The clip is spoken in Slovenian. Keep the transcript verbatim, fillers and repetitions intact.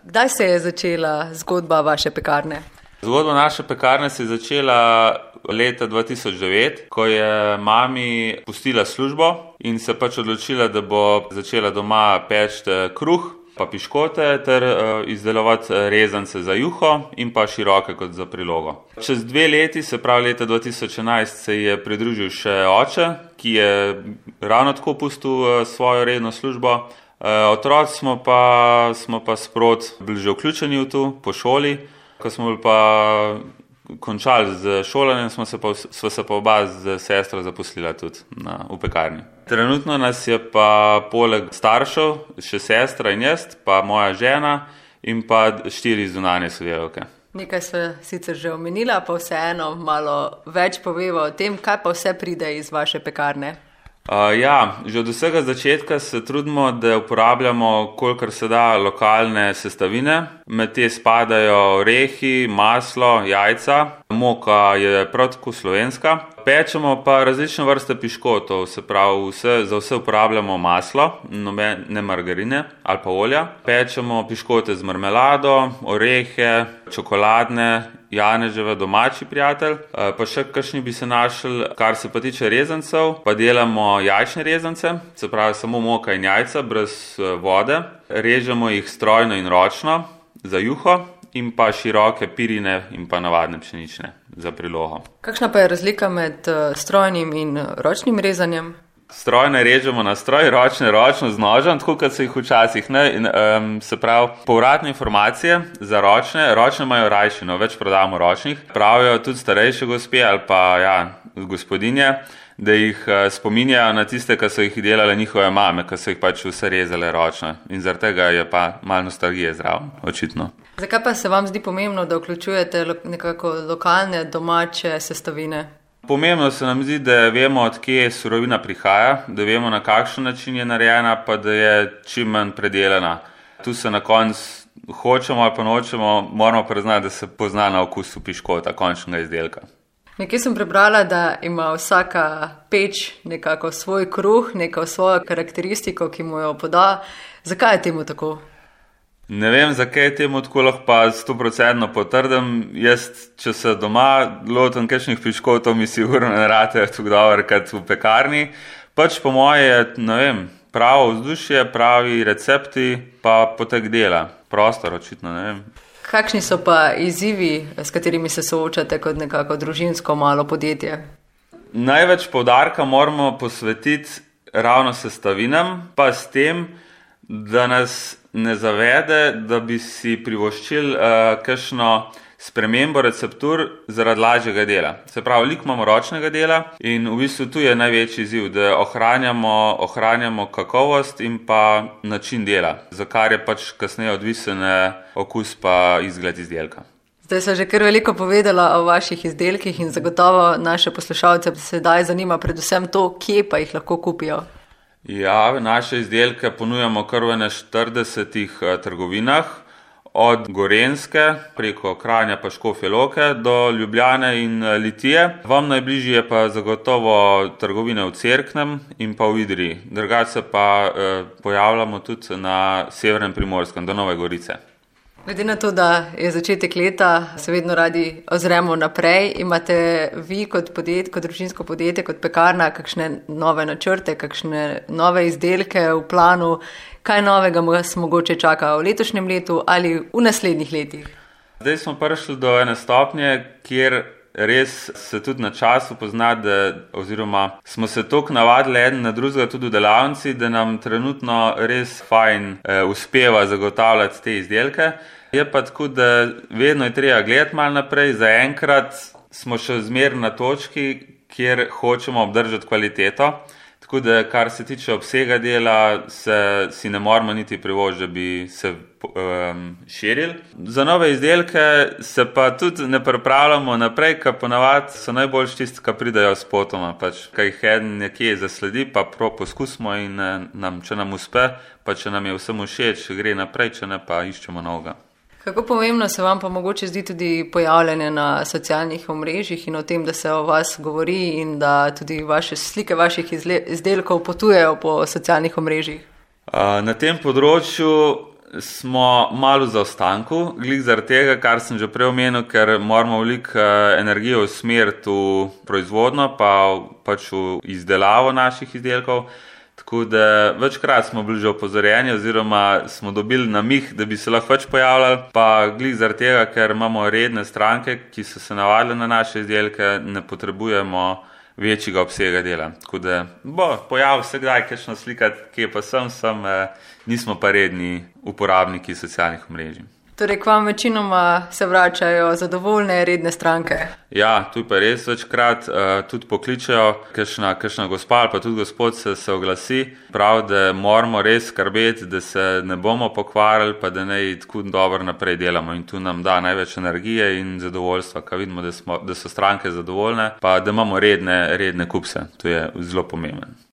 Kdaj se je začela zgodba vaše pekarne? Zgodba naše pekarne se je začela leta dva tisoč devet, ko je mami pustila službo in se pač odločila, da bo začela doma peči kruh pa piškote ter uh, izdelovati rezance za juho in pa široke kot za prilogo. Čez dve leti, se pravi leta dva tisoč enajst, se je pridružil še oče, ki je ravno tako pustil uh, svojo redno službo. Uh, otroci smo pa, smo pa sprot bili že vključeni v to po šoli. Ko smo bili pa končali z šolanjem, smo se pa, smo se pa oba z sestro zaposlila tudi na, v pekarni. Trenutno nas je pa poleg staršev še sestra in jaz, pa moja žena in pa štiri zunanje sodelavke. Nekaj se sicer že omenila, pa vseeno malo več poveva o tem, kaj pa vse pride iz vaše pekarne. Uh, ja, že od vsega začetka se trudimo, da uporabljamo kolikor se da lokalne sestavine. Med te spadajo orehi, maslo, jajca, moka je prav tako slovenska. Pečemo pa različne vrste piškotov, se pravi vse, za vse uporabljamo maslo, ne margarine ali pa olja. Pečemo piškote z marmelado, orehe, čokoladne, janeževe, domači prijatelj. Pa še kakšni bi se našli, kar se pa tiče rezancev, pa delamo jajčne rezance, se pravi samo moka in jajca, brez vode. Režemo jih strojno in ročno za juho in pa široke pirine in pa navadne pšenične za prilogo. Kakšna pa je razlika med strojnim in ročnim rezanjem? Strojne režemo na stroj, ročne ročno z nožem, tako kot so jih včasih. Ne? In, um, se pravi, povratne informacije za ročne, ročne imajo rajšino, več prodamo ročnih. Pravijo tudi starejše gospe ali pa ja, gospodinje, da jih uh, spominjajo na tiste, ki so jih delale njihove mame, ki so jih pač vse rezale ročno. In zaradi tega je pa malo nostalgije zraven, očitno. Zakaj pa se vam zdi pomembno, da vključujete lo- nekako lokalne, domače sestavine? Pomembno se nam zdi, da vemo, od kje surovina prihaja, da vemo, na kakšen način je narejena, pa da je čim manj predelana. Tu se na koncu hočemo ali pa nočemo, moramo priznati, da se pozna na okusu piškota, končnega izdelka. Nekje sem prebrala, da ima vsaka peč nekako svoj kruh, neko svojo karakteristiko, ki mu jo poda. Zakaj je temu tako? Ne vem, zakaj je temu tako, lahko pa sto procentno potrdim. Jaz, če se doma lotim kakšnih piškotov, mi sigurno ne ratejo tako dobro kot v pekarni. Pač po moje je, ne vem, pravo vzdušje, pravi recepti, pa potek dela. Prostor, očitno, ne vem. Kakšni so pa izzivi, s katerimi se soočate kot nekako družinsko malo podjetje? Največ poudarka moramo posvetiti ravno sestavinam, pa s tem, da nas ne zavede, da bi si privoščili uh, kakšno spremembo receptur zaradi lažjega dela. Se pravi, veliko imamo ročnega dela in v bistvu tu je največji izziv, da ohranjamo, ohranjamo kakovost in pa način dela, za kar je pač kasneje odvisen okus pa izgled izdelka. Zdaj sem že kar veliko povedala o vaših izdelkih in zagotovo naše poslušalce sedaj zanima predvsem to, kje pa jih lahko kupijo. Ja, naše izdelke ponujamo kar v štiridesetih trgovinah, od Gorenjske preko Kranja pa Škofje Loke do Ljubljane in Litije. Vam najbližje je pa zagotovo trgovine v Cerknem in pa v Idriji. Drugače pa eh, pojavljamo tudi na Severnem Primorskem do Nove Gorice. Glede na to, da je začetek leta, se vedno radi ozremo naprej. Imate vi kot podjetje, kot družinsko podjetje, kot pekarna, kakšne nove načrte, kakšne nove izdelke v planu? Kaj novega vas mogoče čaka v letošnjem letu ali v naslednjih letih? Zdaj smo prišli do ene stopnje, kjer res se tudi na času pozna, da, oziroma smo se toliko navadili eden na drugega tudi v delavnici, da nam trenutno res fajn eh, uspeva zagotavljati te izdelke. Je pa tako, da vedno je treba gledati malo naprej. Zaenkrat smo še zmeraj na točki, kjer hočemo obdržati kvaliteto. Tako da, kar se tiče obsega dela, se, si ne moramo niti privoščiti, da bi se um, širili. Za nove izdelke se pa tudi ne pripravljamo naprej, ker ponavadi so najboljši tisti, ki pridajo s potoma. Pač, kaj jih eden nekje zasledi, pa prav poskusimo in nam, če nam uspe, pa če nam je vsem všeč, gre naprej, če ne pa iščemo novega. Kako pomembno se vam pa mogoče zdi tudi pojavljanje na socialnih omrežjih in o tem, da se o vas govori in da tudi vaše slike vaših izdelkov potujejo po socialnih omrežjih? Na tem področju smo malo v zaostanku, glih zaradi tega, kar sem že prej omenil, ker moramo veliko energije usmeriti v proizvodnjo, pa pač v izdelavo naših izdelkov. Tako da večkrat smo bili že opozorjeni oziroma smo dobili namig, da bi se lahko več pojavljali, pa glih zaradi tega, ker imamo redne stranke, ki so se navadile na naše izdelke, ne potrebujemo večjega obsega dela. Tako da bo pojavil se kdaj kakšno slika, kje pa sem, sem, nismo pa redni uporabniki socialnih omrežij. Torej, k vam večinoma se vračajo zadovoljne redne stranke? Ja, tu pa res večkrat uh, tudi pokličejo, kakšna, kakšna gospa ali pa tudi gospod se, se oglasi, prav, da moramo res skrbeti, da se ne bomo pokvarili, pa da naj tako dobro naprej delamo in tu nam da največ energije in zadovoljstva, ko vidimo, da, smo, da so stranke zadovoljne, pa da imamo redne, redne kupce, to je zelo pomembno.